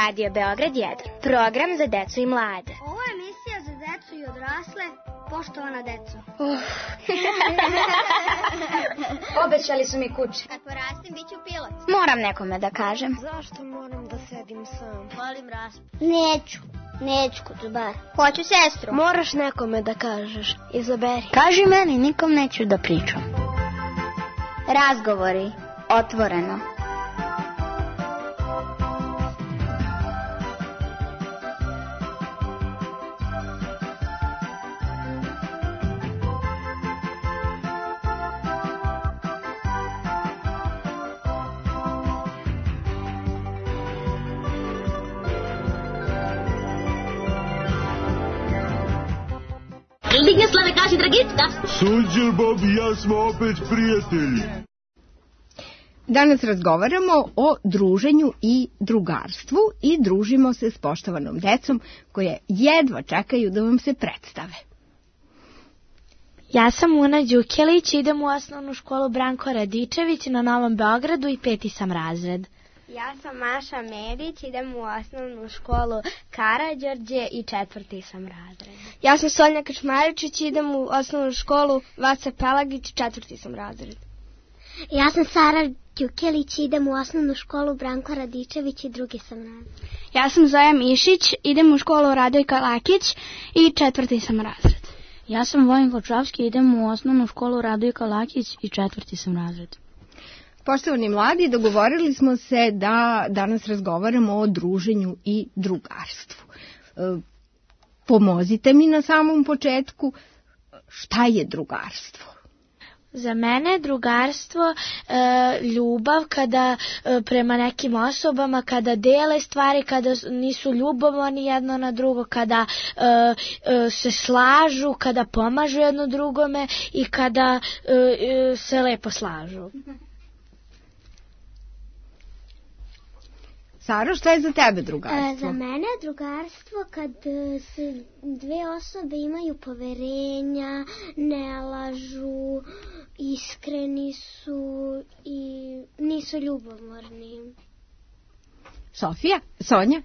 Radio Beograd 1, program za decu i mlade. Ovo je emisija za decu i odrasle, poštovana deco. Obećali su mi kuće. Kad porastim, bit ću pilot. Moram nekome da kažem. Zašto moram da sedim sam? Volim raspad. Neću kucubar. Hoću sestru. Moraš nekome da kažeš. Izaberi. Kaži meni, nikom neću da pričam. Razgovori, otvoreno. Digneslave, kaži Dragicka. Sunđer, Bob i ja smo opet prijatelji. Danas razgovaramo o druženju i drugarstvu i družimo se s poštovanom decom koje jedva čekaju da vam se predstave. Ja sam Una Đukjelić, idem u osnovnu školu Branko Radičević na Novom Beogradu i 5. sam razred. Ja sam Maša Medić, idem u osnovnu školu Karađorđe i 4. sam razred. Ja sam Sonja Kačmaričić, idem u osnovnu školu Vaca Pelagić, 4. sam razred. Ja sam Sara Đukjelić, idem u osnovnu školu Branko Radičević i 2. sam razred. Ja sam Zoja Mišić, idem u školu Radojka Lakić i 4. sam razred. Ja sam Vojin Kočovski, idem u osnovnu školu Radojka Lakić i 4. sam razred. Poštovani mladi, dogovorili smo se da danas razgovaramo o druženju i drugarstvu. Pomozite mi na samom početku, šta je drugarstvo? Za mene je drugarstvo ljubav kada prema nekim osobama, kada dele stvari, kada nisu ljubomorni jedno na drugo, kada se slažu, kada pomažu jedno drugome i kada se lepo slažu. Saro, šta je za tebe drugarstvo? Za mene je drugarstvo kad se dve osobe imaju poverenja, ne lažu, iskreni su i nisu ljubomorni. Sonja?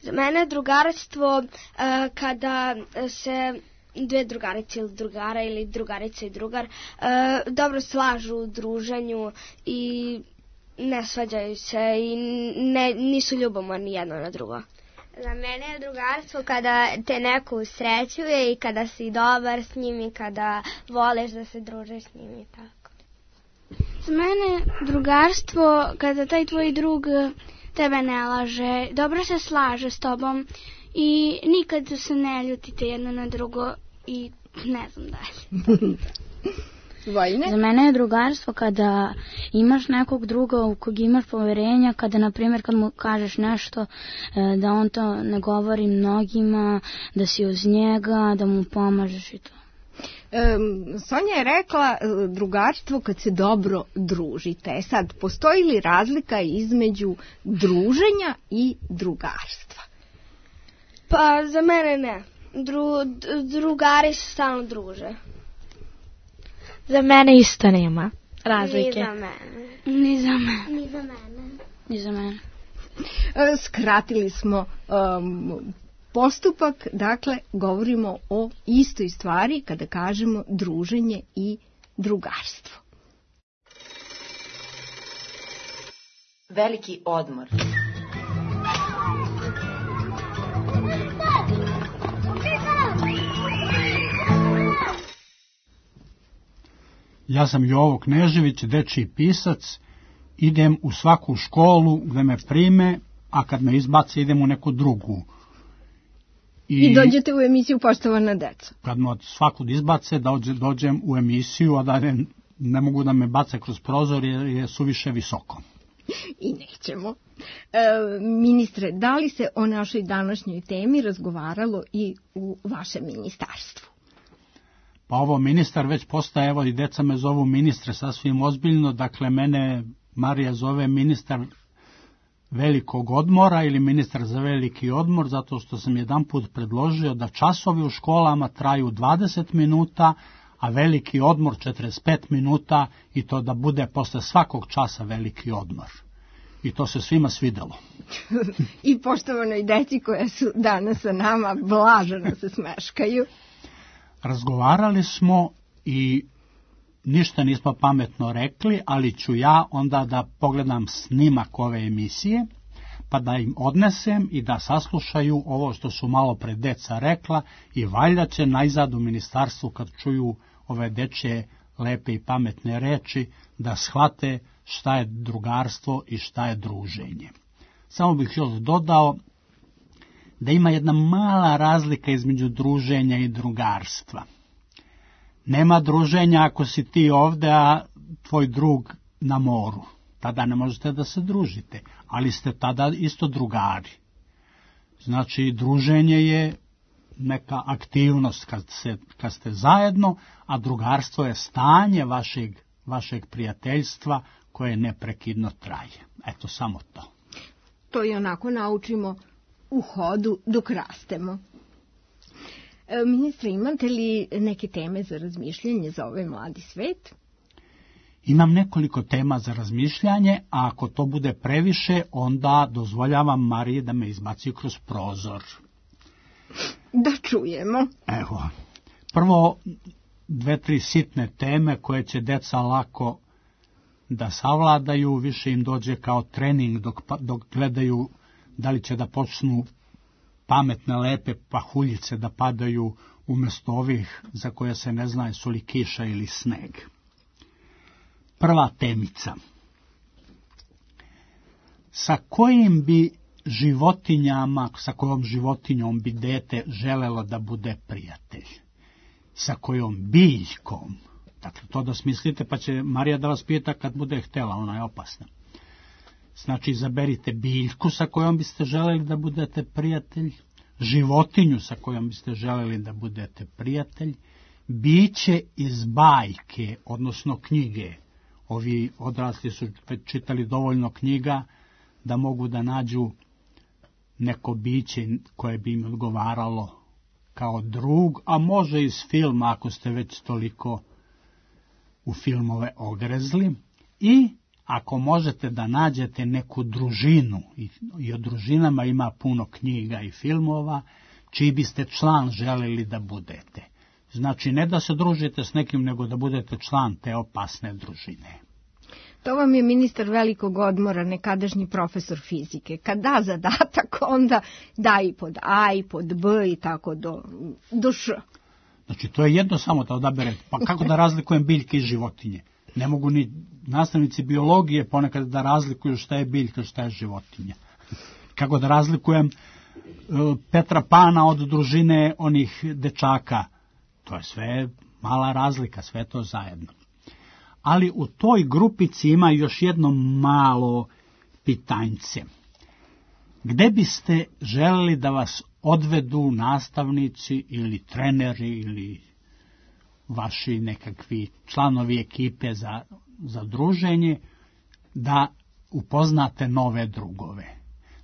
Za mene je drugarstvo kada se dve drugarice ili drugara ili drugarica i drugar dobro slažu u druženju i ne svađaju se i nisu ljubomorni jedno na drugo. Za mene je drugarstvo kada te neko usrećuje i kada si dobar s njim i kada voliš da se družiš s njim i tako. Za mene je drugarstvo kada taj tvoj drug tebe ne laže, dobro se slaže s tobom i nikad se ne ljutite jedno na drugo i ne znam dalje. Vojne? Za mene je drugarstvo kada imaš nekog druga u kog imaš poverenja, kada, na primjer, kad mu kažeš nešto, da on to ne govori mnogima, da si uz njega, da mu pomažeš i to. Sonja je rekla drugarstvo kad se dobro družite. Sad, postoji li razlika između druženja i drugarstva? Pa, za mene ne. Drugari se stalno druže. Za mene isto nema razlike. Ni za mene. Skratili smo postupak, dakle, govorimo o istoj stvari kada kažemo druženje i drugarstvo. Veliki odmor. Ja sam Jovo Knežević, dečiji pisac, idem u svaku školu gde me prime, a kad me izbace idem u neku drugu. I dođete u emisiju Poštovana deca. Kad me od svakud izbace, dođem u emisiju, a da ne mogu da me bace kroz prozor jer je suviše visoko. I nećemo. Ministre, da li se o našoj današnjoj temi razgovaralo i u vašem ministarstvu? Pa ovo ministar već postaje, evo i deca me zovu ministre sasvim ozbiljno, dakle mene Marija zove ministar velikog odmora ili ministar za veliki odmor, zato što sam jedanput predložio da časovi u školama traju 20 minuta, a veliki odmor 45 minuta i to da bude posle svakog časa veliki odmor. i to se svima svidelo. I poštovanoj deci koja su danas sa nama blaženo se smeškaju. Razgovarali smo i ništa nismo pametno rekli, ali ću ja onda da pogledam snimak ove emisije, pa da im odnesem i da saslušaju ovo što su malo pre deca rekla i valjda će najzad u ministarstvu kad čuju ove dečje lepe i pametne reči da shvate šta je drugarstvo i šta je druženje. Samo bih još dodao da ima jedna mala razlika između druženja i drugarstva. Nema druženja ako si ti ovde, a tvoj drug na moru. Tada ne možete da se družite, ali ste tada isto drugari. Znači, druženje je neka aktivnost kad ste zajedno, a drugarstvo je stanje vašeg prijateljstva koje neprekidno traje. Eto, samo to. To i onako naučimo u hodu dok rastemo. Ministre, imate li neke teme za razmišljanje za ovaj mladi svet? Imam nekoliko tema za razmišljanje, a ako to bude previše, onda dozvoljavam Mariji da me izbaci kroz prozor. Da čujemo. Evo, prvo 2-3 sitne teme koje će deca lako da savladaju, više im dođe kao trening dok gledaju da li će da počnu pametne, lepe pahuljice da padaju umjesto ovih za koje se ne zna su li kiša ili sneg. Prva temica. Sa kojim bi životinjama, sa kojom životinjom bi dete želelo da bude prijatelj? Sa kojom biljkom? Dakle, to da smislite, pa će Marija da vas pita kad bude htjela, ona je opasna. Znači, izaberite biljku sa kojom biste želeli da budete prijatelj, životinju sa kojom biste želeli da budete prijatelj, biće iz bajke, odnosno knjige. Ovi odrasli su čitali dovoljno knjiga da mogu da nađu neko biće koje bi im odgovaralo kao drug, a može iz filma ako ste već toliko u filmove ogrezli. I ako možete da nađete neku družinu, i o družinama ima puno knjiga i filmova, čiji biste član želeli da budete. Znači, ne da se družite s nekim, nego da budete član te opasne družine. To vam je ministar velikog odmora, nekadašnji profesor fizike. Kad da zadatak, onda da i pod A i pod B i tako do Š. Znači, to je jedno samo da odaberete. Pa kako da razlikujem biljke i životinje? Ne mogu ni nastavnici biologije ponekad da razlikuju šta je biljka, šta je životinja. Kako da razlikujem Petra Pana od družine onih dečaka? To je sve mala razlika, sve to zajedno. Ali u toj grupici ima još jedno malo pitanjce. Gde biste želeli da vas odvedu nastavnici ili treneri ili vaši nekakvi članovi ekipe za druženje, da upoznate nove drugove?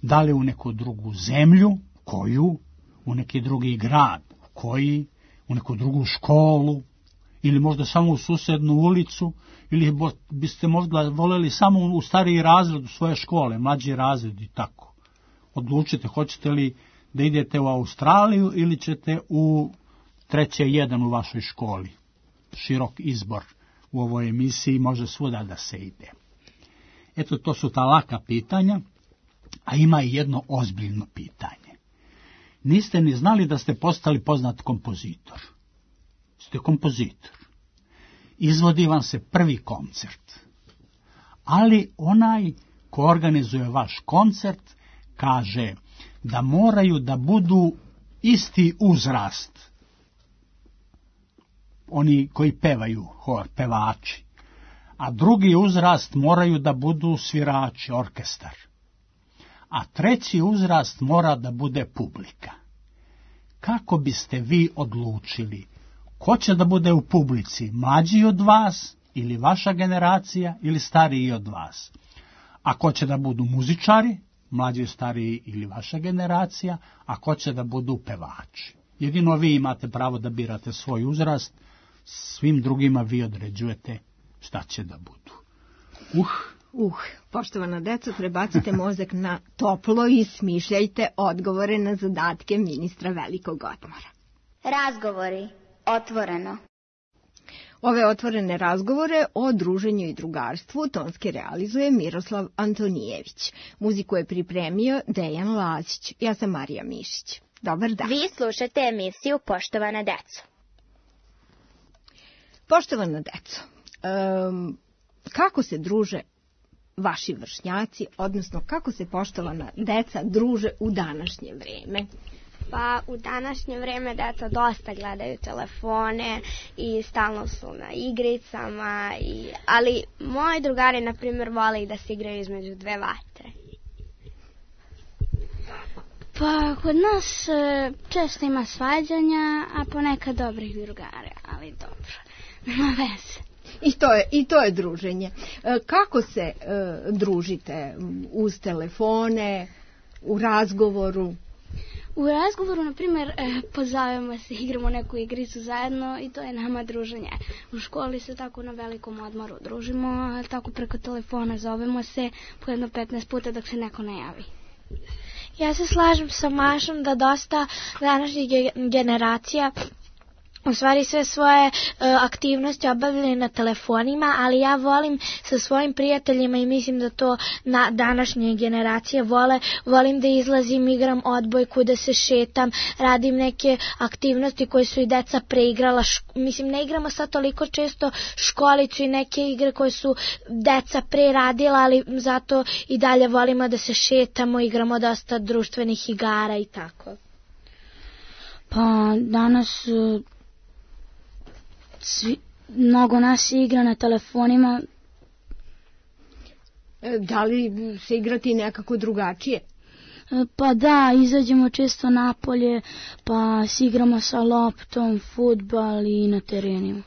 Da li u neku drugu zemlju, koju, u neki drugi grad, koji, u neku drugu školu, ili možda samo u susednu ulicu, ili biste možda voljeli samo u stariji razred u svoje škole, mlađi razred i tako. Odlučite, hoćete li da idete u Australiju ili ćete u 3.1 u vašoj školi. Širok izbor u ovoj emisiji, može svuda da se ide. Eto, to su ta laka pitanja, a ima i jedno ozbiljno pitanje. Niste ni znali da ste postali poznat kompozitor. Ste kompozitor. Izvodi vam se prvi koncert. Ali onaj ko organizuje vaš koncert kaže da moraju da budu isti uzrast. Oni koji pevaju, hor, pevači. A drugi uzrast moraju da budu svirači, orkestar. A treći uzrast mora da bude publika. Kako biste vi odlučili? Ko će da bude u publici? Mlađi od vas, ili vaša generacija, ili stariji od vas? A ko će da budu muzičari? Mlađi, stariji ili vaša generacija? A ko će da budu pevači? Jedino vi imate pravo da birate svoj uzrast, svim drugima vi određujete šta će da budu. Poštovana deco, prebacite mozak na toplo i smišljajte odgovore na zadatke ministra velikog odmora. Razgovori. Otvoreno. Ove otvorene razgovore o druženju i drugarstvu tonski realizuje Miroslav Antonijević. Muziku je pripremio Dejan Lazić. Ja sam Marija Mišić. Dobar dan. Vi slušate emisiju Poštovana deco. Poštovana deco, kako se druže vaši vršnjaci, odnosno kako se poštovana deca druže u današnje vreme? Pa u današnje vreme deca dosta gledaju telefone i stalno su na igricama, ali moji drugari, na primjer, vole da se igraju između dve vatre. Pa kod nas često ima svađanja, a ponekad dobrih drugara, ali dobro, nema veze. I to je druženje. Kako se družite? Uz telefone, u razgovoru? U razgovoru, na primjer, pozovemo se, igramo neku igricu zajedno i to je nama druženje. U školi se tako na velikom odmoru družimo, a tako preko telefona zovemo se po jedno 15 puta dok se neko ne javi. Ja se slažem sa Mašom da dosta današnjih generacija u stvari sve svoje aktivnosti obavljaju na telefonima, ali ja volim sa svojim prijateljima i mislim da to na današnje generacije volim da izlazim, igram odbojku, da se šetam, radim neke aktivnosti koje su i deca preigrala. Mislim, ne igramo sad toliko često školicu i neke igre koje su deca pre radila, ali zato i dalje volimo da se šetamo, igramo dosta društvenih igara i tako. Pa danas mnogo nas igra na telefonima. Da li se igrati nekako drugačije? Pa da, izađemo često napolje, pa se igramo sa loptom, fudbal i na terenima.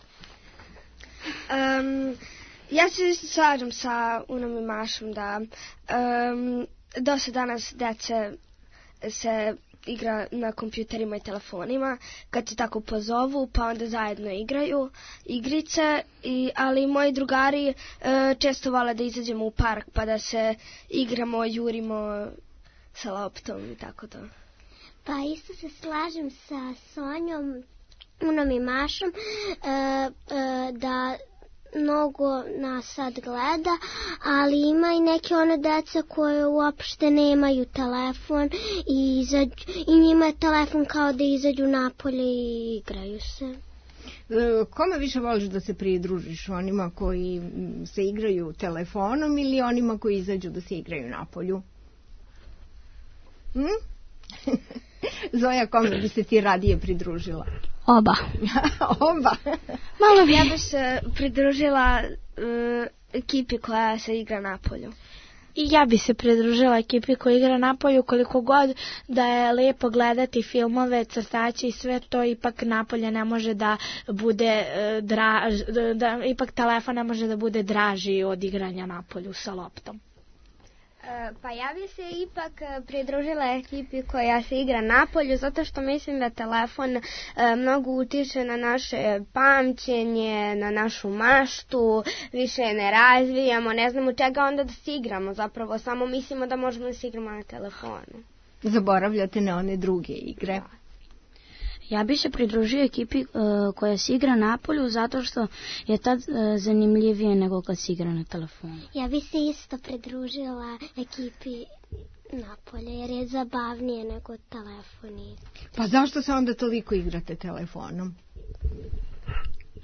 Ja se slažem sa Unom i Mašom da dosta danas dece se igra na kompjuterima i telefonima, kad se tako pozovu, pa onda zajedno igraju igrice, ali moji drugari često vole da izađemo u park, pa da se igramo, jurimo sa loptom i tako to. Pa isto se slažem sa Sonjom, Unom i Mašom, da mnogo nas sad gleda, ali ima i neke one deca koje uopšte nemaju telefon i njima je telefon kao da izađu napolje i igraju se. Kome više voliš da se pridružiš? Onima koji se igraju telefonom ili onima koji izađu da se igraju napolju? Zoja, kome bi se ti radije pridružila? Oba. Oba? Ja bih se pridružila ekipi koja se igra napolju. I ja bi se pridružila ekipi koja igra napolju, koliko god da je lepo gledati filmove, crtaće i sve to, ipak napolje ne može da bude ipak telefon ne može da bude draži od igranja napolju sa loptom. Pa ja bi se ipak pridružila ekipi koja se igra napolju, zato što mislim da telefon mnogo utiče na naše pamćenje, na našu maštu, više ne razvijamo, ne znamo čega onda da se igramo, zapravo samo mislimo da možemo da se igramo na telefonu. Zaboravljate na one druge igre. Ja bi se pridružio ekipi koja se igra napolju, zato što je tad zanimljivije nego kad se igra na telefonu. Ja bi se isto pridružila ekipi napolje, jer je zabavnije nego telefoni. Pa zašto se onda toliko igrate telefonom?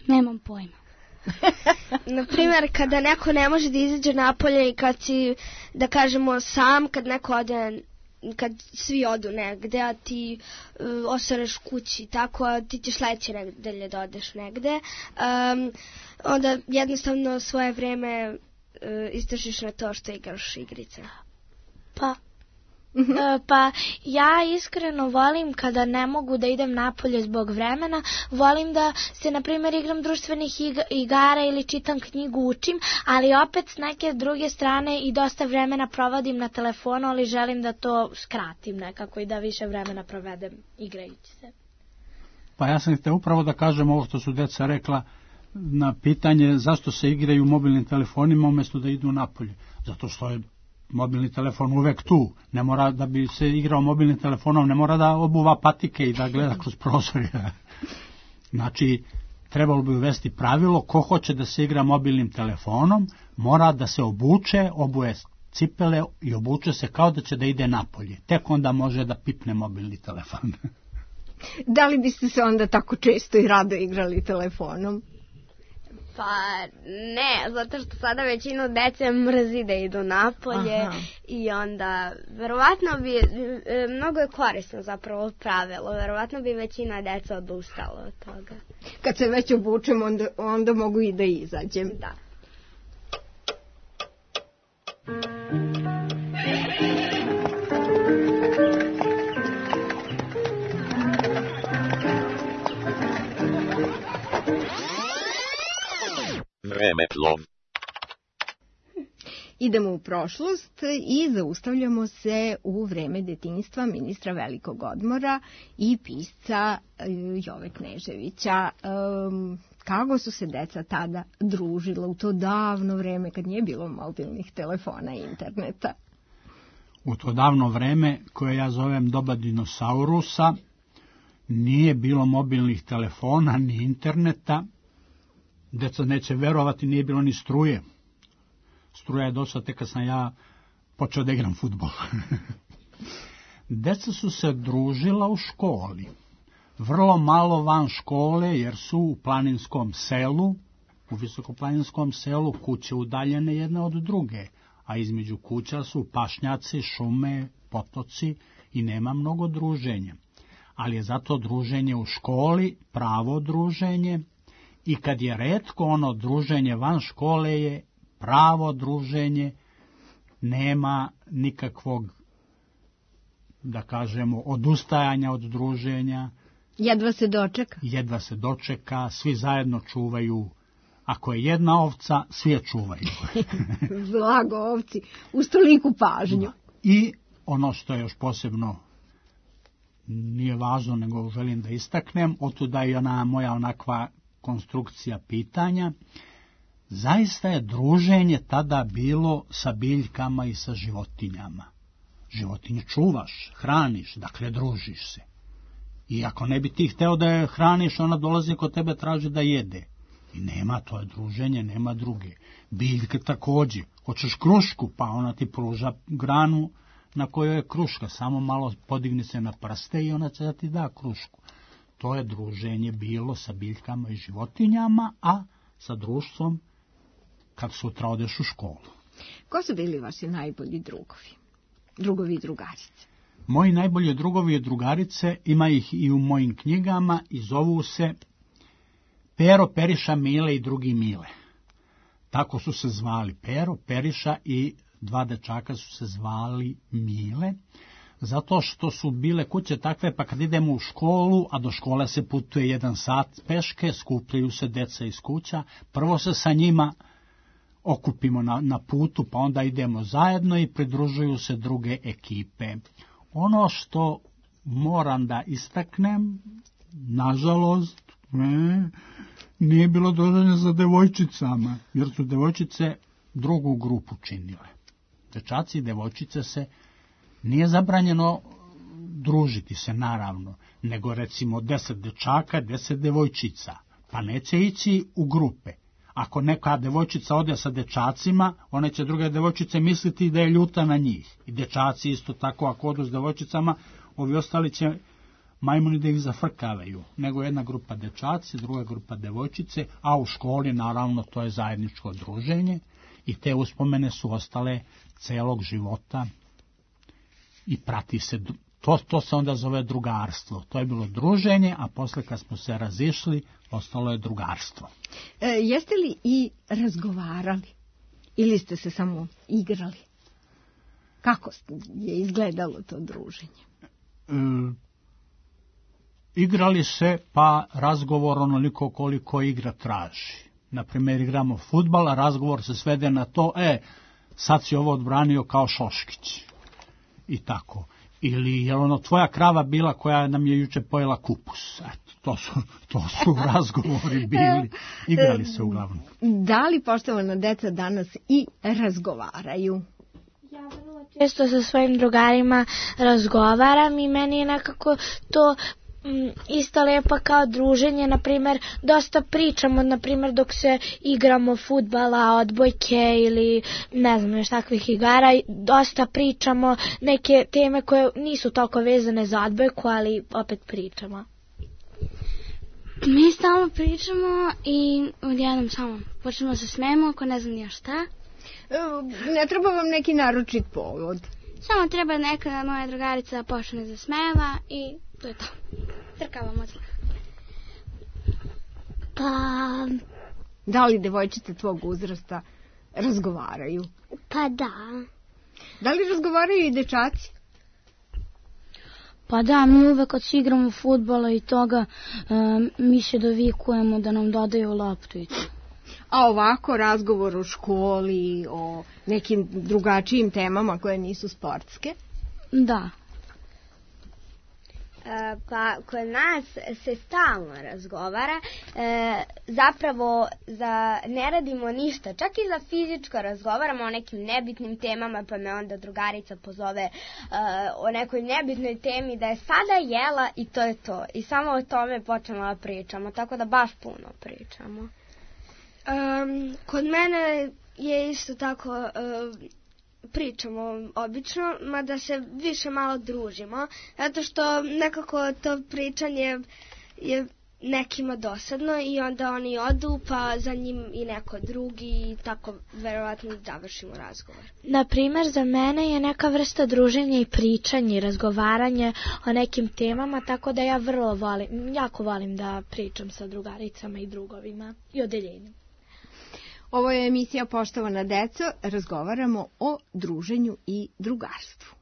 Nemam pojma. Naprimjer, kada neko ne može da izađe napolje i kad si, da kažemo, sam, kad neko ode, kad svi odu negde, a ti ostaneš kući, tako, a ti ćeš sledeće nedelje da odeš negde, onda jednostavno svoje vreme istršiš na to što igraš igrice. Pa ja iskreno volim kada ne mogu da idem napolje zbog vremena, volim da se na primjer igram društvenih igara ili čitam knjigu, učim, ali opet s neke druge strane i dosta vremena provodim na telefonu, ali želim da to skratim nekako i da više vremena provedem igrajući se. Pa ja sam htio upravo da kažem ovo što su deca rekla, na pitanje zašto se igraju mobilnim telefonima umjesto da idu napolje. Zato što je mobilni telefon uvek tu. Ne mora da bi se igrao mobilnim telefonom, ne mora da obuva patike i da gleda kroz prozor. Znači, trebalo bi uvesti pravilo, ko hoće da se igra mobilnim telefonom, mora da se obuje cipele i obuče se kao da će da ide napolje. Tek onda može da pipne mobilni telefon. Da li biste se onda tako često i rado igrali telefonom? Pa ne, zato što sada većinu dece mrzi da idu napolje. Aha. I onda verovatno bi, mnogo je korisno zapravo pravilo, verovatno bi većina deca odustala od toga. Kad se već obučem, onda mogu i da izađem. Da. Vremeplov. Idemo u prošlost i zaustavljamo se u vreme detinjstva ministra Velikog odmora i pisca Jove Kneževića. Kako su se deca tada družila u to davno vreme kad nije bilo mobilnih telefona i interneta? U to davno vreme, koje ja zovem doba dinosaurusa, nije bilo mobilnih telefona ni interneta. Deca neće verovati, nije bilo ni struje. Struja je došla tek kad sam ja počeo da igram fudbal. Deca su se družila u školi. Vrlo malo van škole, jer su u planinskom selu, u visokoplaninskom selu, kuće udaljene jedna od druge, a između kuća su pašnjaci, šume, potoci i nema mnogo druženja. Ali je zato druženje u školi pravo druženje, i kad je retko ono druženje van škole je pravo druženje, nema nikakvog, da kažemo, odustajanja od druženja. Jedva se dočeka. Jedva se dočeka, svi zajedno čuvaju. Ako je jedna ovca, svi je čuvaju. Blago ovci, uz toliku pažnju. I ono što je još posebno, nije važno, nego želim da istaknem, otuda i ona moja onakva konstrukcija pitanja, zaista je druženje tada bilo sa biljkama i sa životinjama. Životinje čuvaš, hraniš, dakle družiš se. I ako ne bi ti hteo da je hraniš, ona dolazi kod tebe, traži da jede. I nema, to je druženje, nema druge. Biljke također. Hoćeš krušku, pa ona ti pruža granu na kojoj je kruška. Samo malo podigni se na prste i ona će da ti da krušku. To je druženje bilo sa biljkama i životinjama, a sa društvom kad sutra odeš u školu. Ko su bili vaši najbolji drugovi? Drugovi i drugarice? Moji najbolji drugovi i drugarice, ima ih i u mojim knjigama, i zovu se Pero, Periša, Mile i drugi Mile. Tako su se zvali Pero, Periša i dva dečaka su se zvali Mile, zato što su bile kuće takve, pa kad idemo u školu, a do škole se putuje 1 sat peške, skupljaju se deca iz kuća, prvo se sa njima okupimo na putu, pa onda idemo zajedno i pridružuju se druge ekipe. Ono što moram da istaknem, nažalost, nije bilo druženja za devojčicama, jer su devojčice drugu grupu činile. Dečaci i devojčice se nije zabranjeno družiti se, naravno, nego recimo 10 dečaka, 10 devojčica, pa neće ići u grupe. Ako neka devojčica ode sa dečacima, one će druge devojčice misliti da je ljuta na njih. I dečaci isto tako, ako odu s devojčicama, ovi ostali će majmuni da ih zafrkavaju. Nego jedna grupa dečaci, druga grupa devojčice, a u školi, naravno, to je zajedničko druženje i te uspomene su ostale celog života i prati se. To se onda zove drugarstvo. To je bilo druženje, a posle kad smo se razišli, ostalo je drugarstvo. Jeste li i razgovarali? Ili ste se samo igrali? Kako je izgledalo to druženje? Igrali se, pa razgovor onoliko koliko igra traži. Naprimjer, igramo fudbal, a razgovor se svede na to, sad si ovo odbranio kao Šoškić. I tako. Ili je ono tvoja krava bila koja nam je juče pojela kupus. Eto, to su razgovori bili. Igrali se uglavnom. Da li poštovana deca danas i razgovaraju? Ja vrlo često sa svojim drugarima razgovaram i meni je nekako to isto lepo kao druženje. Naprimjer, dosta pričamo, naprimjer, dok se igramo fudbala, odbojke ili ne znam još takvih igara, dosta pričamo neke teme koje nisu toliko vezane za odbojku, ali opet pričamo. Mi stalno pričamo i odjednom samo počnemo da se smejemo ako ne znam ja šta. Ne treba vam neki naročit povod? Samo treba neka moja drugarica da počne da smejeva i to je to. Trkavamo odmah. Pa... Da li devojčice tvog uzrasta razgovaraju? Pa da. Da li razgovaraju i dečaci? Pa da, mi uvek kad si igramo fudbala i toga, mi se dovikujemo da nam dodaju loptu i to. A ovako razgovor o školi, o nekim drugačijim temama koje nisu sportske? Da. Pa kod nas se stalno razgovara, zapravo ne radimo ništa, čak i za fizičko razgovaramo o nekim nebitnim temama, pa me onda drugarica pozove o nekoj nebitnoj temi da je sada jela i to je to. I samo o tome počnemo da pričamo, tako da baš puno pričamo. Kod mene je isto tako... pričamo obično, mada se više malo družimo, zato što nekako to pričanje je nekima dosadno i onda oni odu, pa za njim i neko drugi i tako verovatno završimo razgovor. Naprimer, za mene je neka vrsta druženja i pričanje i razgovaranje o nekim temama, tako da ja jako volim da pričam sa drugaricama i drugovima i odeljenjem. Ovo je emisija Poštovana deco, razgovaramo o druženju i drugarstvu.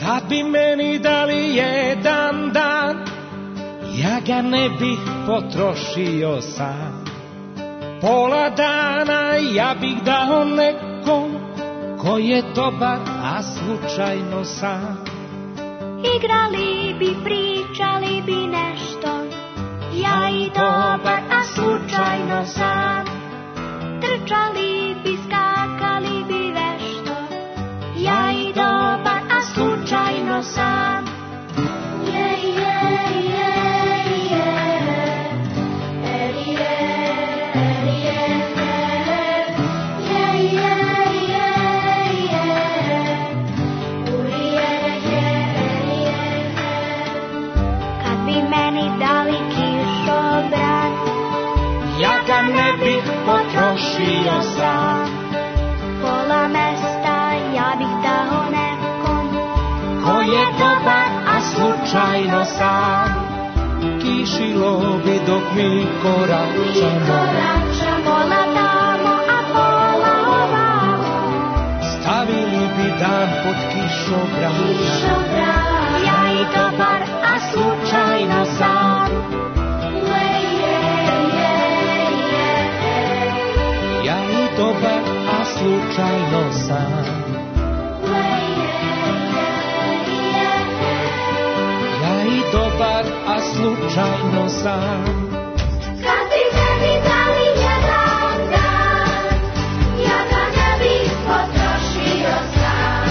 Kad bi meni dali jedan dan, ja ga ne bih potrošio sam. Pola dana ja bih dao nekom ko je dobar, a slučajno sam. Igrali bi, pričali bi nešto, ja i dobar, a slučajno sam. Trčali bi, skakali bi vešto, ja i dobar, a slučajno sam. Ne bih potrošio sam. Pola mesta ja bih dao nekom ko je dobar, a slučajno sam. Kišilo bi dok mi koračamo, pola tamo, a pola ovamo. Stavili bi dan pod kišobran, ja i dobar, a slučajno sam. Dobar, a slučajno sam. Ja i dobar, a slučajno sam. Kad bi meni dali jedan dan, ja ga ne bih potrošio sam.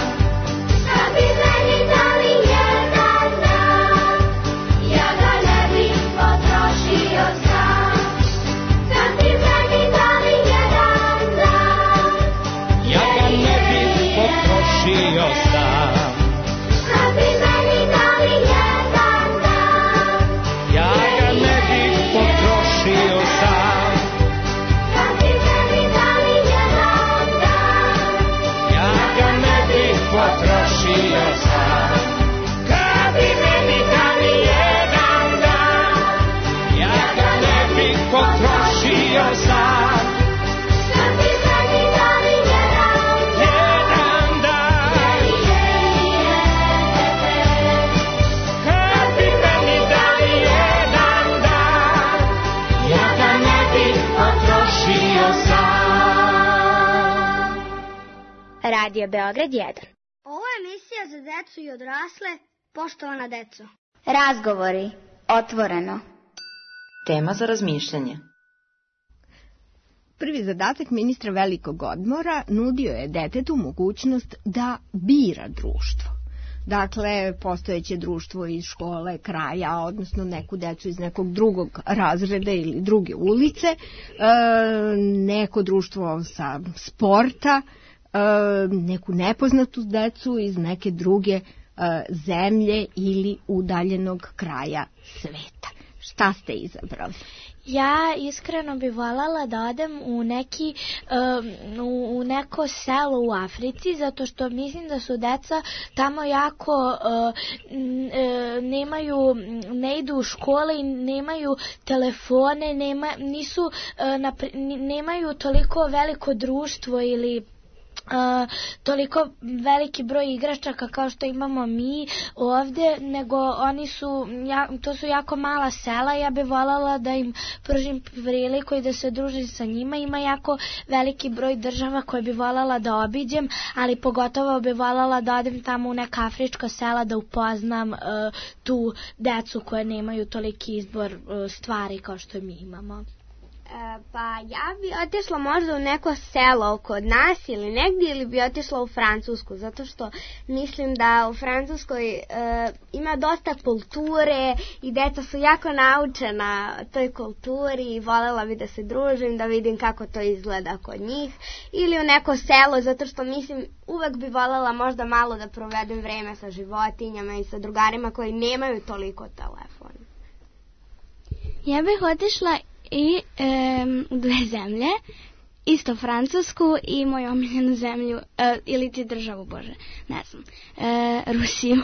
Kad bi meni dali jedan dan, ja ga ne bih potrošio sam. Kad bi meni dali potrošio sam. Kad bi meni dali jedan dan, ja ga ne bih Radio Beograd 1. Ovo je emisija za decu i odrasle, poštovana deco. Razgovori, otvoreno. Tema za razmišljanje. Prvi zadatak ministra velikog odmora nudio je detetu mogućnost da bira društvo. Dakle, postojeće društvo iz škole, kraja, odnosno neku decu iz nekog drugog razreda ili druge ulice, neko društvo sa sporta, neku nepoznatu decu iz neke druge zemlje ili udaljenog kraja sveta. Šta ste izabrali? Ja iskreno bih voljela da odem u neko selo u Africi, zato što mislim da su deca tamo jako ne idu u škole i nemaju telefone, nemaju toliko veliko društvo ili toliko veliki broj igračaka kao što imamo mi ovdje, nego to su jako mala sela. Ja bih voljela da im pružim priliku i da se družim sa njima. Ima jako veliki broj država koje bi voljela da obiđem, ali pogotovo bi voljela da odem tamo u neka afrička sela da upoznam tu decu koje nemaju toliki izbor stvari kao što mi imamo. Pa ja bi otišla možda u neko selo kod nas ili negdje, ili bi otišla u Francusku, zato što mislim da u Francuskoj ima dosta kulture i deca su jako naučena toj kulturi i voljela bi da se družim, da vidim kako to izgleda kod njih, ili u neko selo, zato što mislim uvek bi voljela možda malo da provedem vreme sa životinjama i sa drugarima koji nemaju toliko telefona. Ja bih otišla i u dve zemlje, isto Francusku i moju omiljenu zemlju, ili ti državu, Bože, ne znam, Rusiju.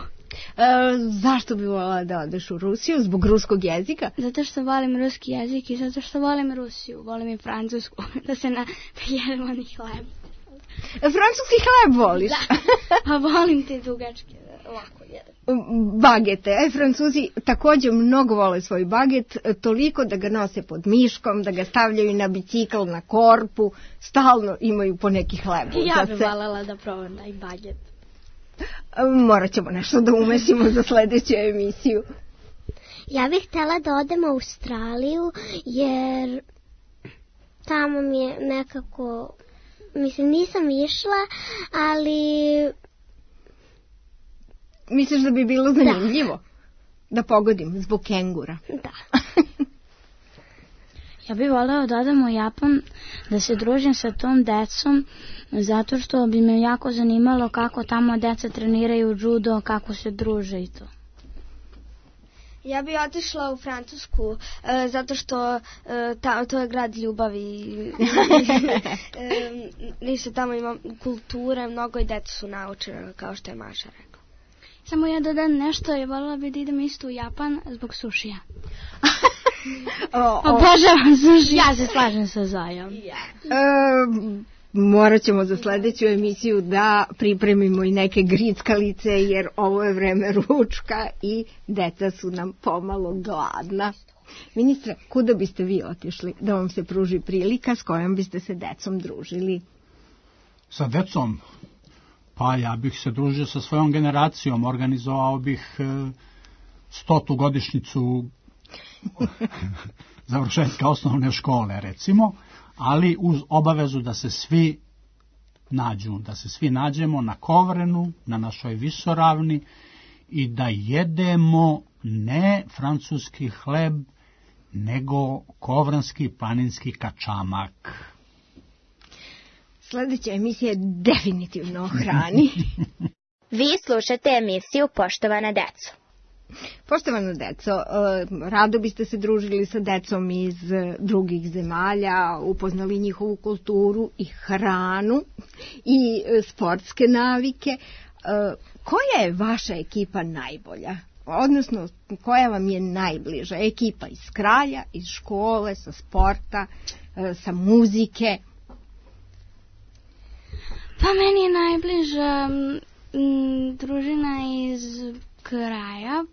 Zašto bi voljela da odeš u Rusiju? Zbog ruskog jezika? Zato što volim ruski jezik i zato što volim Rusiju, volim i Francusku, da se jedemo ni hleb. Francuski hleb voliš? Da, pa volim te dugačke, lako jedem. Bagete. Francuzi također mnogo vole svoj baget, toliko da ga nose pod miškom, da ga stavljaju na bicikl, na korpu, stalno imaju po neki hleb. Ja bih voljela da probam taj baget. Morat ćemo nešto da umesimo za sljedeću emisiju. Ja bih htjela da odem u Australiju, jer tamo mi je nekako, mislim, nisam išla, ali... Misliš da bi bilo zanimljivo? Da pogodim, zbog kengura. Da. Ja bih voljela da odem u Japan, da se družim sa tom decom, zato što bi me jako zanimalo kako tamo deca treniraju judo, kako se druže i to. Ja bih otišla u Francusku, zato što to je grad ljubavi. Ništa tamo ima kulture, mnogo i deca su naučena, kao što je Maša rekla. Samo ja dodam nešto, je voljela bi da idem isto u Japan zbog sušija. Obožavam suši. Ja se slažem sa Zajom. Morat ćemo za sljedeću emisiju da pripremimo i neke grickalice, jer ovo je vreme ručka i deca su nam pomalo gladna. Ministre, kuda biste vi otišli da vam se pruži prilika, s kojom biste se decom družili? Sa decom? Pa ja bih se družio sa svojom generacijom, organizovao bih 100. godišnjicu završetka osnovne škole, recimo, ali uz obavezu da se svi nađu, da se svi nađemo na Kovrenu, na našoj visoravni i da jedemo ne francuski hleb, nego kovranski planinski kačamak. Sljedeća emisija je definitivno o hrani. Vi slušate emisiju Poštovana deco. Poštovana deco, rado biste se družili sa decom iz drugih zemalja, upoznali njihovu kulturu i hranu i sportske navike. Koja je vaša ekipa najbolja? Odnosno, koja vam je najbliža? Ekipa iz kraja, iz škole, sa sporta, sa muzike? Pa meni je najbliža družina iz kraja,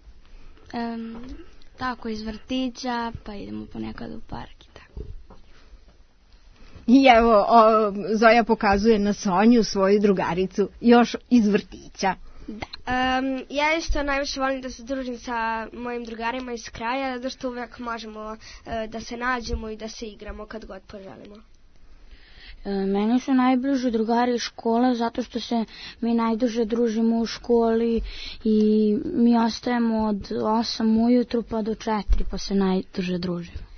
tako iz vrtića, pa idemo ponekad u park i tako. I evo, Zoja pokazuje na Sonju, svoju drugaricu, još iz vrtića. Ja isto najviše volim da se družim sa mojim drugarima iz kraja, zato što uvijek možemo da se nađemo i da se igramo kad god poželimo. Meni su najbliži drugari iz škole zato što se mi najduže družimo u školi i mi ostajemo od 8 ujutru pa do 4 pa se najduže družimo.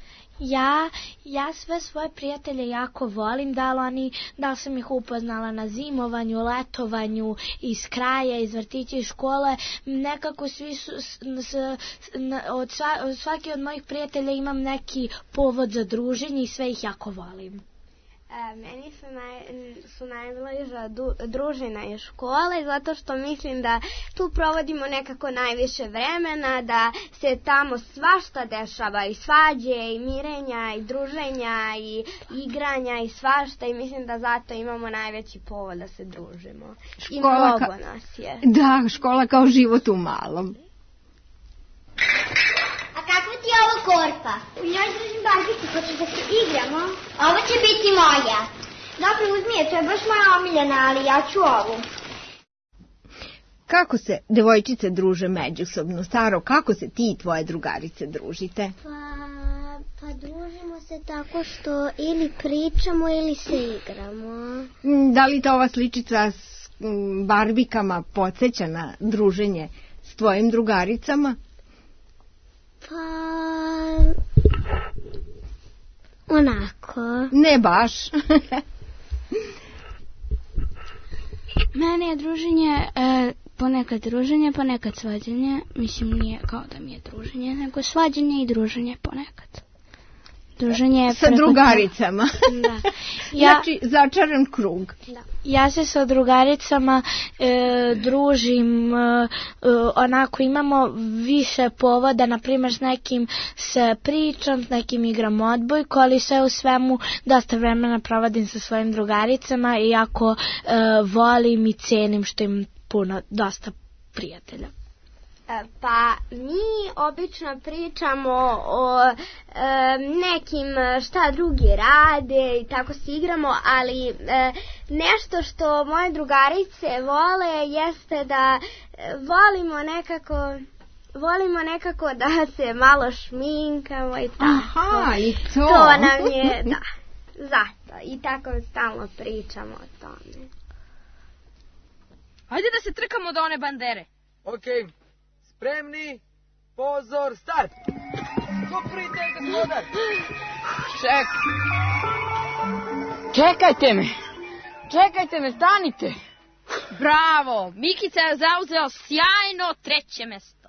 Ja sve svoje prijatelje jako volim, da li sam ih upoznala na zimovanju, letovanju, iz kraja, iz vrtića i škole, nekako svi su, svaki od mojih prijatelja imam neki povod za druženje i sve ih jako volim. Meni su najbliža družina iz škole, zato što mislim da tu provodimo nekako najviše vremena, da se tamo svašta dešava, i svađe, i mirenja, i druženja, i igranja, i svašta, i mislim da zato imamo najveći povod da se družimo. I mnogo nas je. Da, škola kao život u malom. Kako ti je ovo korpa? U njoj držim barbicu, hoćeš da se igramo? Ovo će biti moja. Dobro, uzmi je, to je baš moja omiljena, ali ja ću ovu. Kako se devojčice druže međusobno? Staro, kako se ti i tvoje drugarice družite? Pa družimo se tako što ili pričamo ili se igramo. Da li te ova sličica s barbikama podsjeća na druženje s tvojim drugaricama? Pa... onako. Ne baš. Meni je druženje, ponekad druženje, ponekad svađanje. Mislim, nije kao da mi je druženje, nego svađanje i druženje ponekad. Druženje sa drugaricama. Da. Znači, začaran krug. Da. Ja se sa drugaricama družim, onako imamo više povoda, na primjer s nekim se pričam, s nekim igram odbojku, ali sve u svemu dosta vremena provodim sa svojim drugaricama i jako volim i cenim što im dosta prijatelja. Pa mi obično pričamo o nekim šta drugi rade i tako se igramo, ali nešto što moje drugarice vole jeste da volimo nekako da se malo šminkamo i tako. Aha, i to. To nam je, da, zato. I tako stalno pričamo o tome. Ajde da se trkamo do one bandere. Okej. Spremni, pozor, start! Koprite, gospodar! Čekajte me, stanite! Bravo, Mikica je zauzeo sjajno 3. mesto.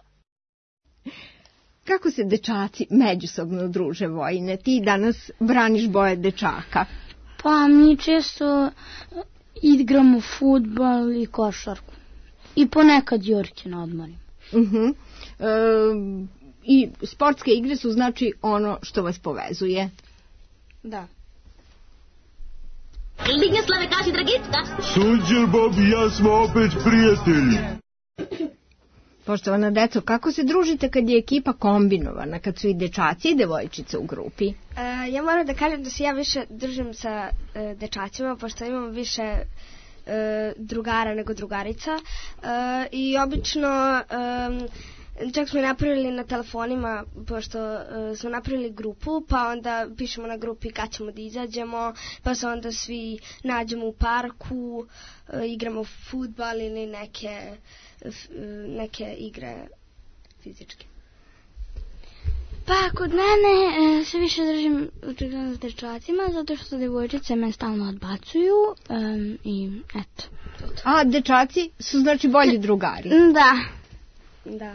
Kako se dečaci međusobno druže, Vojine? Ti danas braniš boje dečaka. Pa mi često igramo fudbal i košarku. I ponekad jorke na odmorima. I sportske igre su znači ono što vas povezuje. Da. Dignoslave, kaži Dragicka. Sunđer, Bob i ja smo opet prijatelji. Poštovana deco, kako se družite kad je ekipa kombinovana, kad su i dečaci i devojčice u grupi? Ja moram da kažem da se ja više držim sa dečacima, pošto imam više drugara nego drugarica i obično čak smo napravili na telefonima, pošto smo napravili grupu, pa onda pišemo na grupi kad ćemo da izađemo, pa se onda svi nađemo u parku, igramo fudbal ili neke igre fizičke. Pa kod mene se više držim s dečacima, zato što devojčice me stalno odbacuju i eto. A dečaci su znači bolji drugari? Da.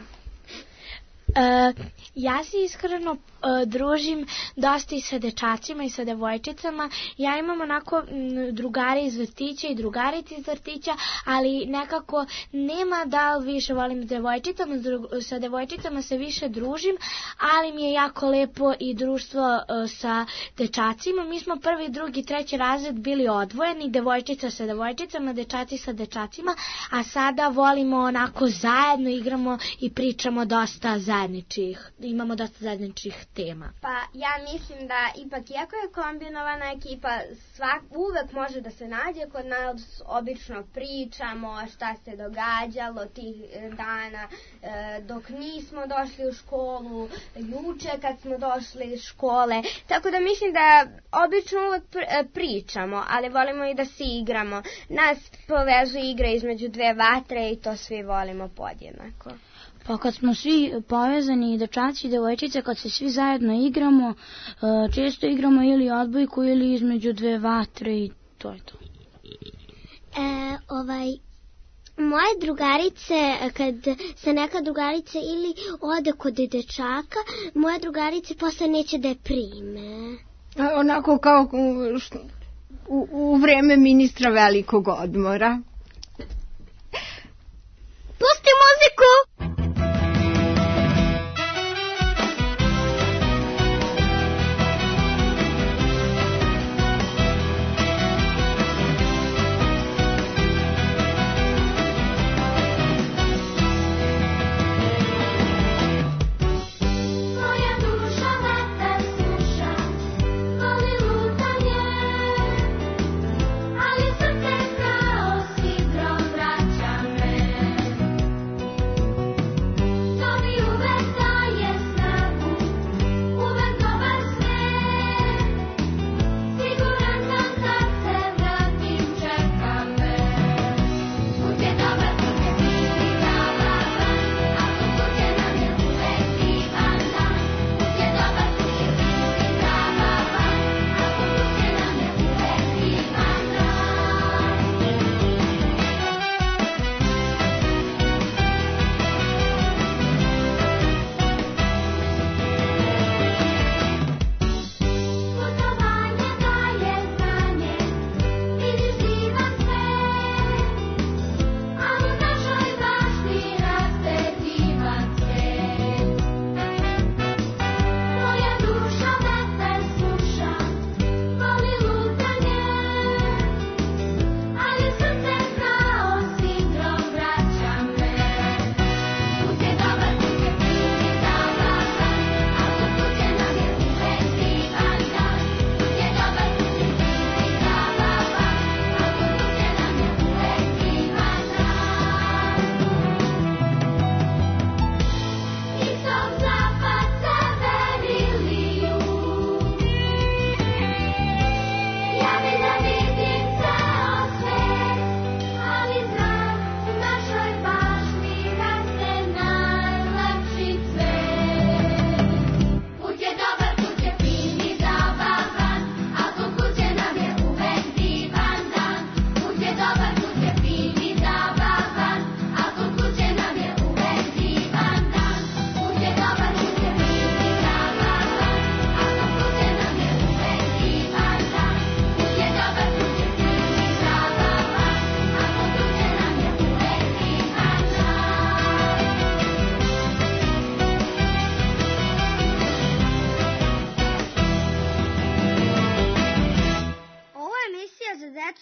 Ja se iskreno družim dosta i sa dečacima i sa devojčicama. Ja imam onako drugare iz vrtića i drugarice iz vrtića, ali nekako nema da li više volim s devojčicama. Sa devojčicama se više družim, ali mi je jako lepo i društvo sa dečacima. Mi smo 1., 2., 3. razred bili odvojeni, devojčica sa devojčicama, dečaci sa dečacima, a sada volimo onako zajedno, igramo i pričamo dosta zajedno imamo dosta zajedničkih tema. Pa ja mislim da ipak iako je kombinovana ekipa, uvek može da se nađe. Kod nas obično pričamo šta se događalo tih dana dok nismo došli u školu, juče kad smo došli iz škole. Tako da mislim da obično uvek pričamo, ali volimo i da se igramo. Nas povezuje igra između dve vatre i to svi volimo podjednako. Pa kad smo svi povezani, dečaci i devojčice, kad se svi zajedno igramo, često igramo ili odbojku ili između dve vatre i to je to. Moje drugarice, kad se neka drugarica ili ode kod dečaka, moje drugarice posle neće da je prime. Onako kao u vreme ministra velikog odmora. Pusti muziku!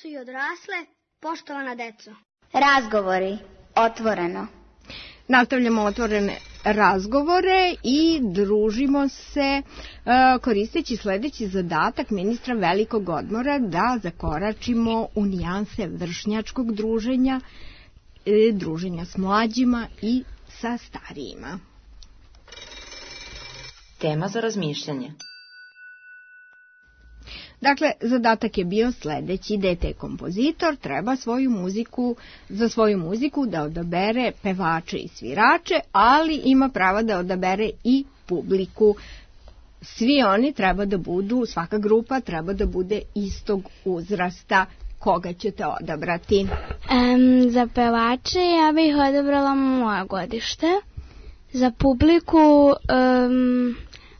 I odrasle, poštovana deco. Razgovori, otvoreno. Nastavljamo otvorene razgovore i družimo se koristeći sledeći zadatak ministra velikog odmora da zakoračimo u nijanse vršnjačkog druženja, druženja s mlađima i sa starijima. Tema za razmišljanje. Dakle, zadatak je bio sledeći: dete kompozitor treba za svoju muziku da odabere pevače i svirače, ali ima prava da odabere i publiku. Svi oni treba da budu, svaka grupa treba da bude istog uzrasta. Koga ćete odabrati? Za pevače ja bih odabrala moje godište. Za publiku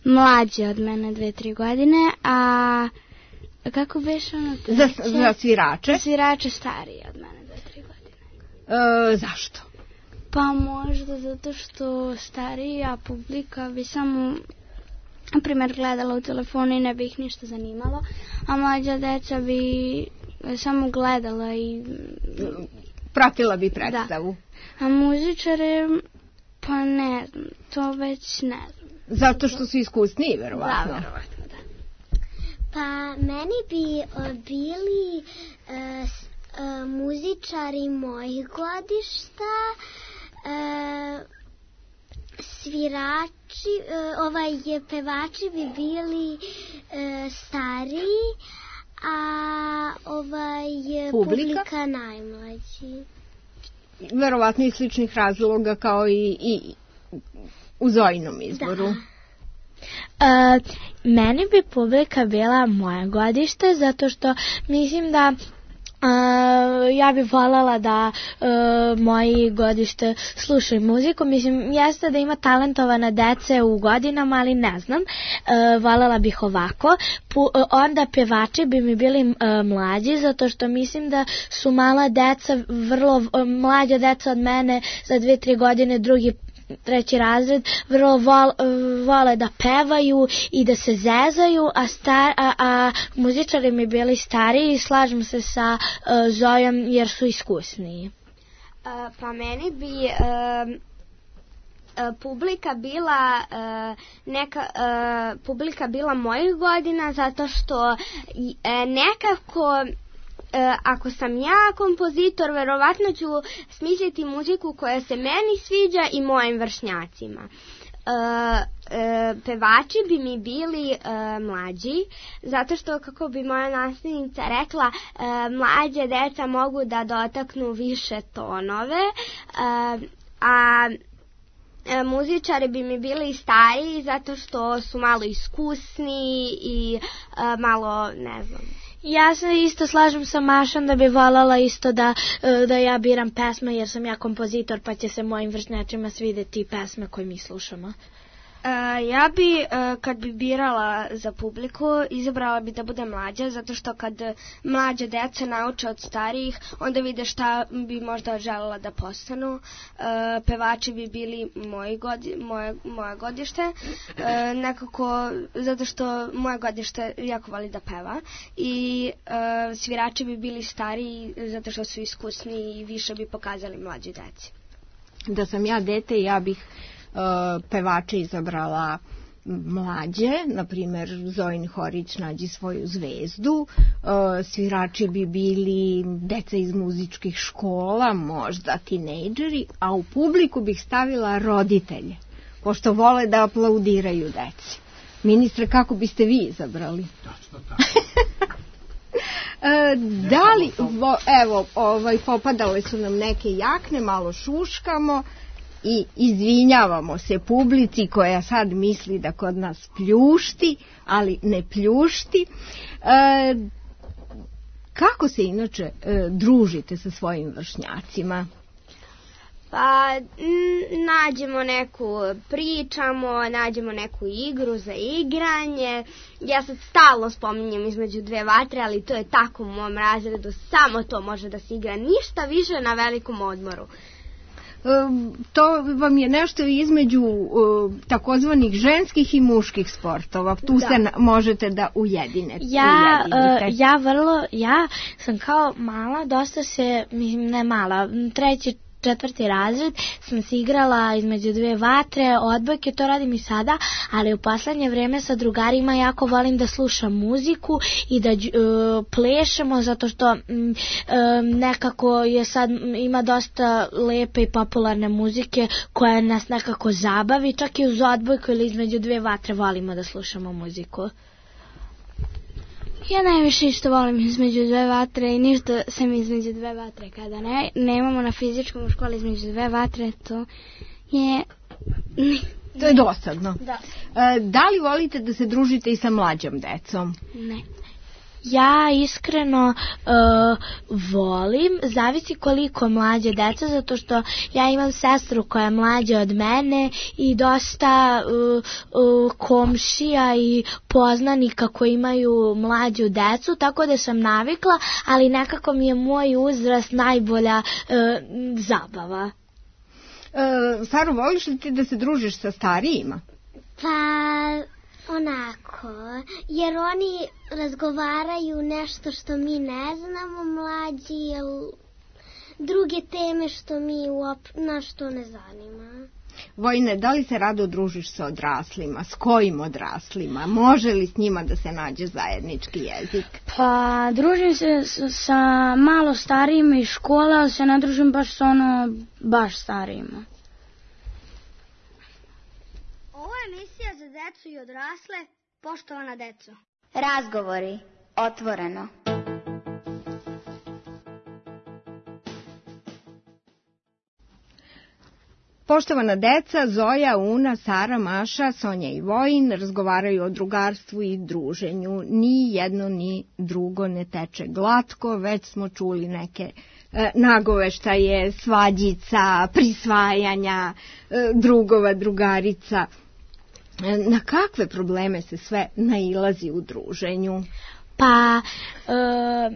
mlađe od mene 2-3 godine, a kako beše ono? Za svirače? Za svirače starije od mene 2-3 godine. Zašto? Pa možda zato što starija publika bi samo, na primjer, gledala u telefonu i ne bi ih ništa zanimalo, a mlađa deca bi samo gledala i pratila bi predstavu. Da. A muzičare, Pa ne znam, to već ne znam. Zato što su iskusniji, verovatno. Da, verovatno, da. Pa meni bi bili muzičari mojih godišta, svirači, pevači bi bili stariji, a publika najmlađi. Verovatno iz sličnih razloga kao i u Zojinom izboru. Da. Meni bi publika bila moja godište, zato što mislim da ja bih voljela da moji godište slušaju muziku. Mislim, jeste da ima talentovana dece u godinama, ali ne znam. Voljela bih ovako. Onda pevači bi mi bili mlađi, zato što mislim da su mala deca, vrlo mlađa deca od mene, za 2-3 godine, treći razred, vrlo vole da pevaju i da se zezaju, a muzičari mi bili stariji i slažem se sa Zojom jer su iskusniji. Pa meni bi publika bila mojih godina, zato što nekako ako sam ja kompozitor, verovatno ću smisliti muziku koja se meni sviđa i mojim vršnjacima. Pevači bi mi bili mlađi, zato što, kako bi moja nastavnica rekla, mlađe deca mogu da dotaknu više tonove, a muzičari bi mi bili stariji zato što su malo iskusni i malo, ne znam. Ja se isto slažem sa Mašom da bi voljela isto da ja biram pesme jer sam ja kompozitor, pa će se mojim vršnjačima svideti pesme koje mi slušamo. Ja bi, kad bi birala za publiku, izabrala bi da bude mlađa, zato što kad mlađe deca nauče od starijih, onda vide šta bi možda želela da postanu. Pevači bi bili moje godište, nekako, zato što moje godište jako voli da peva, i svirači bi bili stariji, zato što su iskusni i više bi pokazali mlađi deci. Da sam ja dete, ja bih pevače izabrala mlađe, na primjer Zojin Horić Nađi svoju zvezdu, svirači bi bili deca iz muzičkih škola, možda tinejdžeri, a u publiku bih stavila roditelje, pošto vole da aplaudiraju deci. Ministre, kako biste vi izabrali? Da li, evo, popadale su nam neke jakne, malo šuškamo i izvinjavamo se publici koja sad misli da kod nas pljušti, ali ne pljušti. Kako se inače družite sa svojim vršnjacima? Pa pričamo, nađemo neku igru za igranje. Ja sad stalno spominjem Između dve vatre, ali to je tako u mom razredu, samo to može da se igra, ništa više na velikom odmoru. To vam je nešto između takozvanih ženskih i muških sportova. Tu se možete da ujedinete. Ja sam kao mala, dosta se, ne mala, 3. 4. razred sam se igrala Između dve vatre, odbojke, to radim i sada, ali u poslednje vreme sa drugarima jako volim da slušam muziku i da plešemo, zato što nekako je sad, ima dosta lepe i popularne muzike koja nas nekako zabavi, čak i uz odbojku ili Između dve vatre volimo da slušamo muziku. Ja najviše isto volim Između dve vatre i ništa sem Između dve vatre. Kada nemamo na fizičkom u školi Između dve vatre, to je... To je dosadno. Da. Da li volite da se družite i sa mlađom decom? Ne. Ja iskreno volim, zavisi koliko mlađe deca, zato što ja imam sestru koja je mlađa od mene i dosta komšija i poznanika koji imaju mlađu decu, tako da sam navikla, ali nekako mi je moj uzrast najbolja zabava. Saro, voliš li ti da se družiš sa starijima? Pa... onako, jer oni razgovaraju nešto što mi ne znamo, mlađi, druge teme što nas to ne zanima. Vojine, da li se rado družiš sa odraslima? S kojim odraslima? Može li s njima da se nađe zajednički jezik? Pa, družim se sa malo starijima iz škola, ali se ne družim baš sa baš starijima. Ovo je emisija za decu i odrasle, poštovana deco. Razgovori, otvoreno. Poštovana deca, Zoja, Una, Sara, Maša, Sonja i Vojin razgovaraju o drugarstvu i druženju. Ni jedno ni drugo ne teče glatko, već smo čuli neke nagoveštaje, svađica, prisvajanja, drugova, drugarica. Na kakve probleme se sve nailazi u druženju? Pa,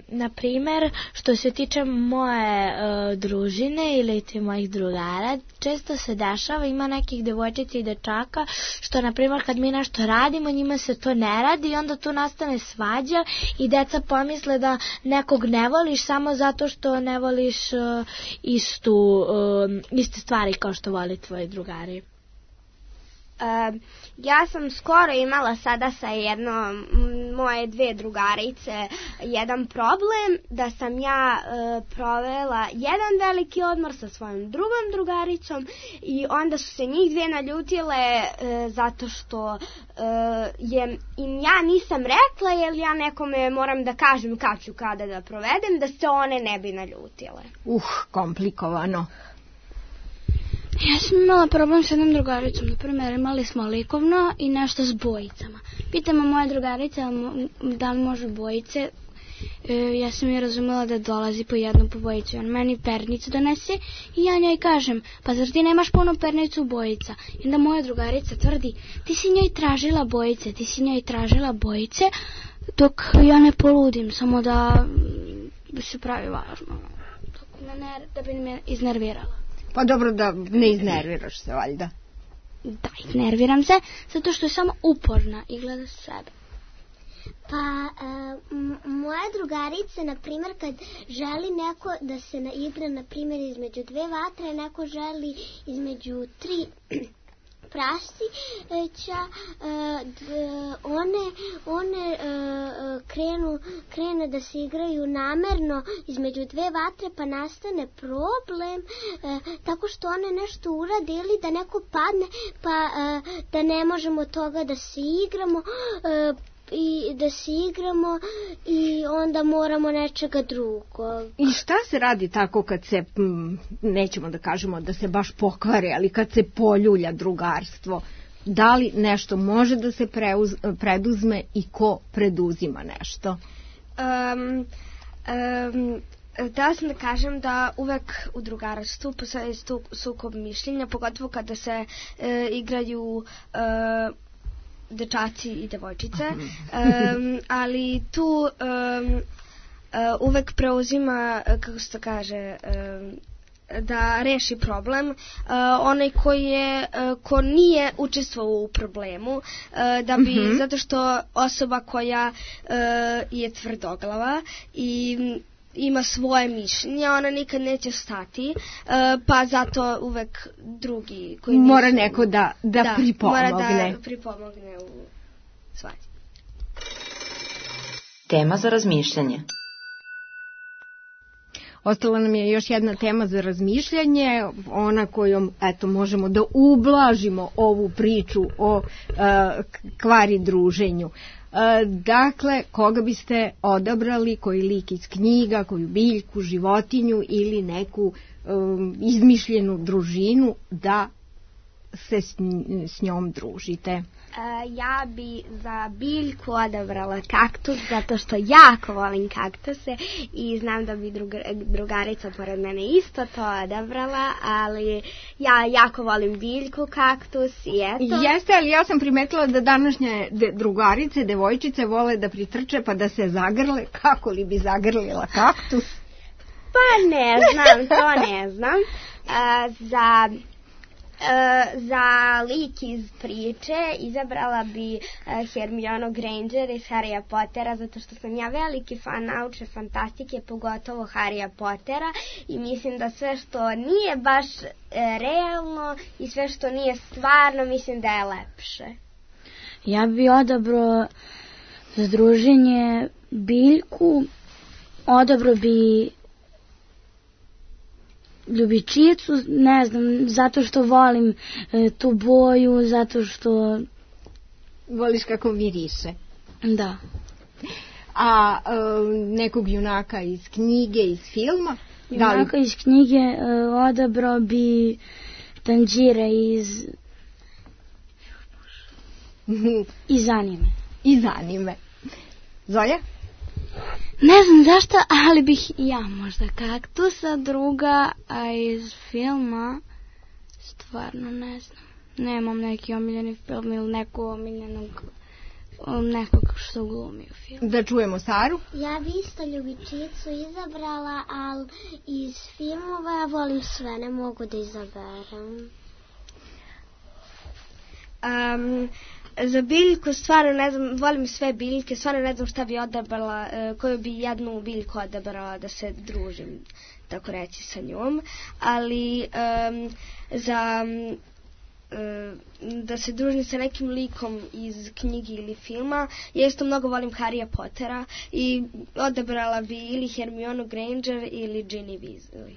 na primer, što se tiče moje družine ili mojih drugara, često se dešava, ima nekih devojčica i dečaka, što, na primer, kad mi nešto radimo, njima se to ne radi i onda tu nastane svađa i deca pomisle da nekog ne voliš samo zato što ne voliš iste stvari kao što voli tvoji drugari. Ja sam skoro imala sada sa jednom moje dve drugarice jedan problem da sam ja provela jedan veliki odmor sa svojom drugom drugaricom i onda su se njih dve naljutile zato što im ja nisam rekla jer ja nekome moram da kažem kad ću kada da provedem da se one ne bi naljutile. Komplikovano. Ja sam imala problem s jednom drugaricom, na primjer imali smo likovno i nešto s bojicama. Pitamo moje drugarice da li može bojice, ja sam je razumela da dolazi po jednu po bojicu. On meni pernicu donese i ja njoj kažem, pa zar ti nemaš puno pernicu bojica? I onda moja drugarica tvrdi, ti si njoj tražila bojice, dok ja ne poludim, samo da se pravi važno, da bi me iznervirala. Pa dobro da ne iznerviraš se, valjda. Da, iznerviram se, zato što je samo uporna i gleda sebe. Pa, moja drugarica, na primjer, kad želi neko da se igra, na primjer, između dve vatre, neko želi između tri prašća, one krenu da se igraju namerno između dve vatre, pa nastane problem tako što one nešto urade ili da neko padne, pa da ne možemo toga da se igramo i onda moramo nečega drugo. I šta se radi tako kad se, nećemo da kažemo da se baš pokvari, ali kad se poljulja drugarstvo? Da li nešto može da se preduzme i ko preduzima nešto? Da sam da kažem da uvek u drugarstvu postoji sukob mišljenja, pogotovo kada se igraju dečaci i devojčice, ali tu uvek preuzima, kako se to kaže, da reši problem onaj ko nije učestvovao u problemu, da bi, zato što osoba koja je tvrdoglava i ima svoje mišljenje, ona nikad neće stati, pa zato uvek drugi koji mora neko da pripomogne. Mora da pripomogne u svađi. Tema za razmišljanje. Ostala nam je još jedna tema za razmišljanje, ona kojom možemo da ublažimo ovu priču o kvari druženju. Dakle, koga biste odabrali, koji lik iz knjiga, koju biljku, životinju ili neku izmišljenu družinu da se s njom družite? Ja bi za biljku odabrala kaktus, zato što jako volim kaktuse i znam da bi drugarica pored mene isto to odabrala, ali ja jako volim biljku, kaktus i eto. Jeste, ali ja sam primetila da današnje drugarice, devojčice vole da pritrče pa da se zagrle. Kako li bi zagrlila kaktus? Pa ne znam, to ne znam. Za lik iz priče izabrala bi Hermionu Granger iz Harrya Pottera, zato što sam ja veliki fan naučne fantastike, pogotovo Harrya Pottera, i mislim da sve što nije baš realno i sve što nije stvarno, mislim da je lepše. Ja bi odabrao za druženje biljku, odabrao bi ljubičicu, ne znam, zato što volim tu boju, zato što... Voliš kako miriše? Da. A nekog junaka iz knjige, iz filma? Junaka iz knjige odabrao bi Tanjira iz anime. Iz anime. Zoja? Ne znam zašto, ali bih ja možda kaktusa, druga, a iz filma stvarno ne znam. Nemam neki omiljeni film ili nekog što glumi u filmu. Da čujemo Saru. Ja bi isto ljubičicu izabrala, ali iz filmova ja volim sve, ne mogu da izaberem. Za biljku stvarno ne znam, volim sve biljke, stvarno ne znam šta bi odabrala, koju bi jednu biljku odabrala da se družim, tako reći, sa njom, ali da se družim sa nekim likom iz knjige ili filma, ja isto mnogo volim Harrya Pottera i odabrala bi ili Hermionu Granger ili Ginny Weasley.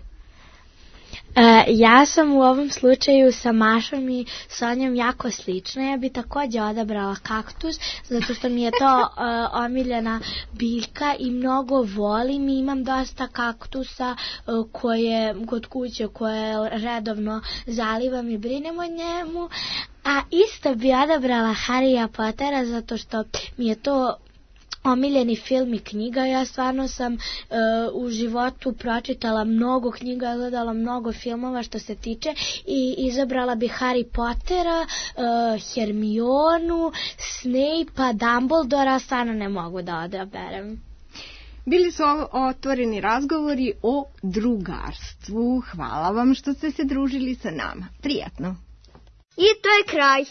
Ja sam u ovom slučaju sa Mašom i Sonjom jako slična. Ja bi također odabrala kaktus, zato što mi je to omiljena biljka i mnogo volim. Imam dosta kaktusa kod kuće koje redovno zalivam i brinem o njemu. A isto bi odabrala Harrya Pottera, zato što mi je to omiljeni film i knjiga. Ja stvarno sam u životu pročitala mnogo knjiga, gledala mnogo filmova što se tiče i izabrala bi Harry Pottera, Hermionu, Snape-a, Dumbledora, stvarno ne mogu da odaberem. Bili su otvoreni razgovori o drugarstvu. Hvala vam što ste se družili sa nama. Prijatno. I to je kraj.